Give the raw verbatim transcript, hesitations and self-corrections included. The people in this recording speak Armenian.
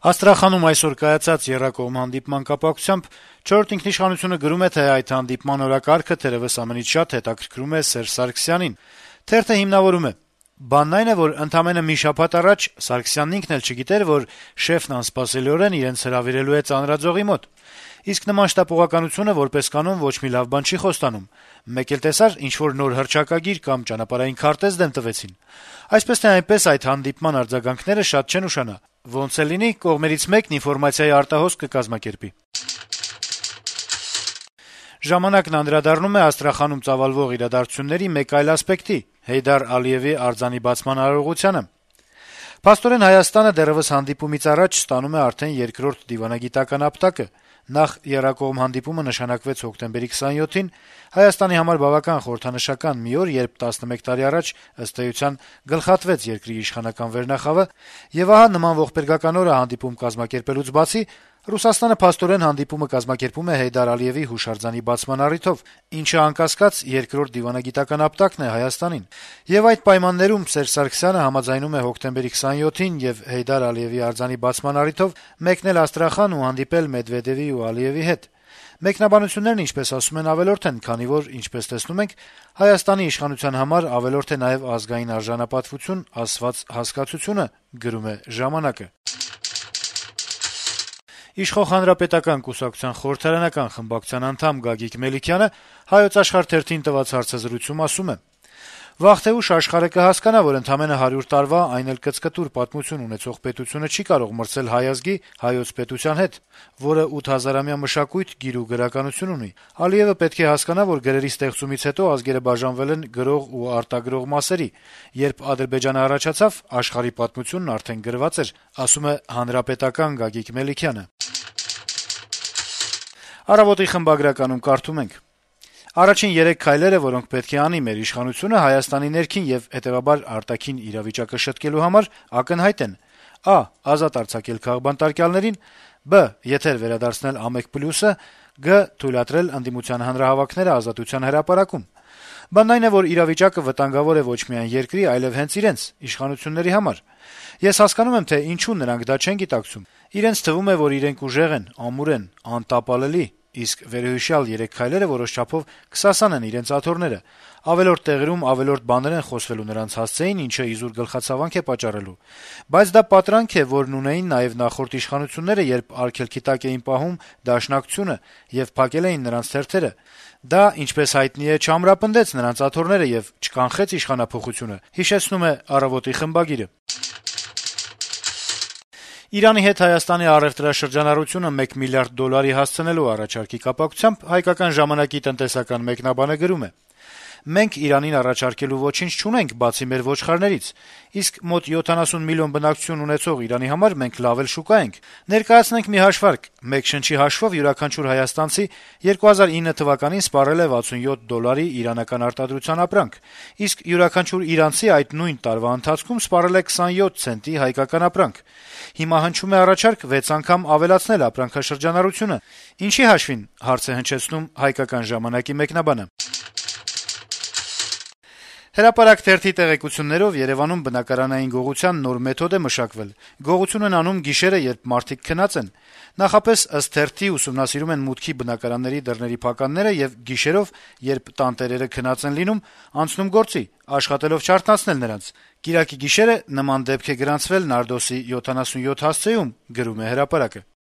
Աստրախանում այսօր կայացած եռակողմ հանդիպման կապակցությամբ «Չորրորդ ինքնիշխանություն»-ը գրում է, թե այդ հանդիպման օրակարգը թերեւս ամենից շատ հետաքրքրում է Սերժ Սարգսյանին։ Թերթը հիմնավորում է. - «Բանն այն է, որ ընդամենը մի շաբաթ առաջ Սարգսյանն ինքն էլ չգիտեր, որ շեֆն անսպասելիորեն իրենց հրավիրելու է ծանրաձողի մոտ։ Իսկ նման շտապողականությունը որպես կանոն ոչ մի լավ բան չի խոստանում։ Մեկ էլ տեսար, ինչ-որ նոր հռչակագիր կամ ճանապարհային քարտեզ դեմ տվեցին։ Այսպես թե այնպես այդ հանդիպման արձագանքները շատ չեն ուշանա։ Ոնց էլ լինի, կողմերից մեկն ինֆորմացիայի արտահոսք կկազմակերպի»։ «Ժամանակ»-ն անդրադառնում է Աստրախանում ծավալվող իրադարձությունների մեկ այլ ասպեկտի` Հեյդար Ալիեւի արձանի բացման արարողությանը։ Փաստորեն Հայաստանը դեռեւս հանդիպումից առաջ ստանում է արդեն երկրորդ դիվանագիտական ապտակը։ Նախ եռակողմ հանդիպումը նշանակվեց հոկտեմբերի քսանյոթին, Հայաստանի համար բավական խորհրդանշական մի օր, երբ տասնմեկ տարի առաջ ըստ էության գլխատվեց երկրի իշխանական վերնախավը, եւ ահա նման ողբերգական օրը հանդիպում կազմակերպելուց բացի Ռուսաստանը փաստորեն հանդիպումը կազմակերպում է Հեյդար Ալիեւի հուշարձանի բացման առիթով, ինչը անկասկած երկրորդ դիվանագիտական ապտակն է Հայաստանին։ Եվ այդ պայմաններում Սերժ Սարգսյանը համաձայնում է հոկտեմբերի քսանյոթին եւ Հեյդար Ալիեւի արձանի բացման առիթով մեկնել Աստրախան ու հանդիպել Մեդվեդեւի ու Ալիեւի հետ։ Մեկնաբանություններն, ինչպես ասում են, ավելորդ են, քանի որ, ինչպես տեսնում ենք, Հայաստանի իշխանության համար ավելորդ է նաեւ ազգային արժանապատվություն ասված հասկացությունը, գրում է «Ժամանակ»-ը։ Իշխող Հանրապետական կուսակցության խորհրդարանական խմբակցության անդամ Գագիկ Մելիքյանը «Հայոց Աշխարհ» թերթին տված հարցազրույցում ասում է. - «Վաղ թե ուշ աշխարհը կհասկանա, որ ընդամենը հարյուր տարվա, այն էլ կծկտուր պատմություն ունեցող պետությունը չի կարող մրցել հայ ազգի, հայոց պետության հետ, որը ութ հազարամյա մշակույթ, գիր ու գրականություն ունի։ Ալիեւը պետք է հասկանա, որ գրերի ստեղծումից հետո ազգերը բաժանվել են գրող ու արտագրող մասերի։ Երբ Ադրբեջանը առաջացավ, աշխարհի պատմությունն արդեն գրված էր», ասում է Հանրապետական Գագիկ Մելիքյանը։ «Առավոտ»-ի խմբագրականում կարդում ենք. - «Առաջին երեք քայլերը, որոնք պետք է անի մեր իշխանությունը Հայաստանի ներքին եւ հետեւաբար արտաքին իրավիճակը շտկելու համար, ակնհայտ են. Ա. Ազատ արձակել քաղբանտարկյալներին, Բ. Եթեր վերադարձնել ԱՄԵԿ+-ը, Գ. Թույլատրել ընդդիմության հանրահավաքները Ազատության հրապարակում։ Բանն այն է, որ իրավիճակը վտանգավոր է ոչ միայն երկրի, այլեւ հենց իրենց՝ իշխանությունների համար։ Ես հասկանում եմ, թե ինչու նրանք դա չեն գիտակցում։ Իրենց թվում է, որ իրենք ուժեղ են, ամուր են, անտապալելի, իսկ վերոհիշյալ երեք քայլերը որոշ չափով կսասանեն իրենց աթոռները։ Ավելորդ տեղերում ավելորդ բաներ են խոսվելու նրանց հասցեին, ինչը իզուր գլխացավանք է պատճառելու։ Բայց դա պատրանք է, որն ունեին նաեւ նախորդ իշխանությունները, երբ արգելքի տակ էին պահում Դաշնակցությունը եւ փակել էին նրանց թերթերը։ Դա, ինչպես հայտնի է, չամրապնդեց նրանց աթոռները եւ չկանխեց իշխանափոխությունը», հիշեցնում է «Առավոտ»-ի խմբագիրը։ Իրանի հետ Հայաստանի առեւտրաշրջանառությունը մեկ միլիարդ դոլարի հասցնելու առաջարկի կապակցությամբ «Հայկական ժամանակ»-ի տնտեսական մեկնաբանը գրում է. - «Մենք Իրանին առաջարկելու ոչինչ չունենք, բացի մեր ոչխարներից, իսկ մոտ յոթանասուն միլիոն բնակչություն ունեցող Իրանի համար մենք լավ էլ շուկա ենք։ Ներկայացնենք մի հաշվարկ. մեկ շնչի հաշվով յուրաքանչյուր հայաստանցի երկու հազար ինը թվականին սպառել է վաթսունյոթ դոլարի իրանական արտադրության ապրանք, իսկ յուրաքանչյուր իրանցի այդ նույն տարվա ընթացքում սպառել է քսանյոթ ցենտի հայկական ապրանք։ Հիմա հնչում է առաջարկ վեց անգամ ավելացնել ապրանքաշրջանառությունը։ Ինչի հաշվին», հարց է հնչեցնում «Հայկական ժամանակ»-ի մեկնաբանը։ «Հրապարակ» թերթի տեղեկություններով Երեւանում բնակարանային գողության նոր մեթոդ է մշակվել։ Գողություն են անում գիշերը, երբ մարդիկ քնած են։ Նախապես, ըստ թերթի, ուսումնասիրում են մուտքի բնակարանների դռների փականները եւ գիշերով, երբ տանտերերը քնած են լինում, անցնում գործի, աշխատելով չարթնացնել նրանց։ Կիրակի գիշերը նման դեպք է գրանցվել Նարդոսի յոթանասունյոթ հասցեում, գրում է «Հրապարակ»-ը։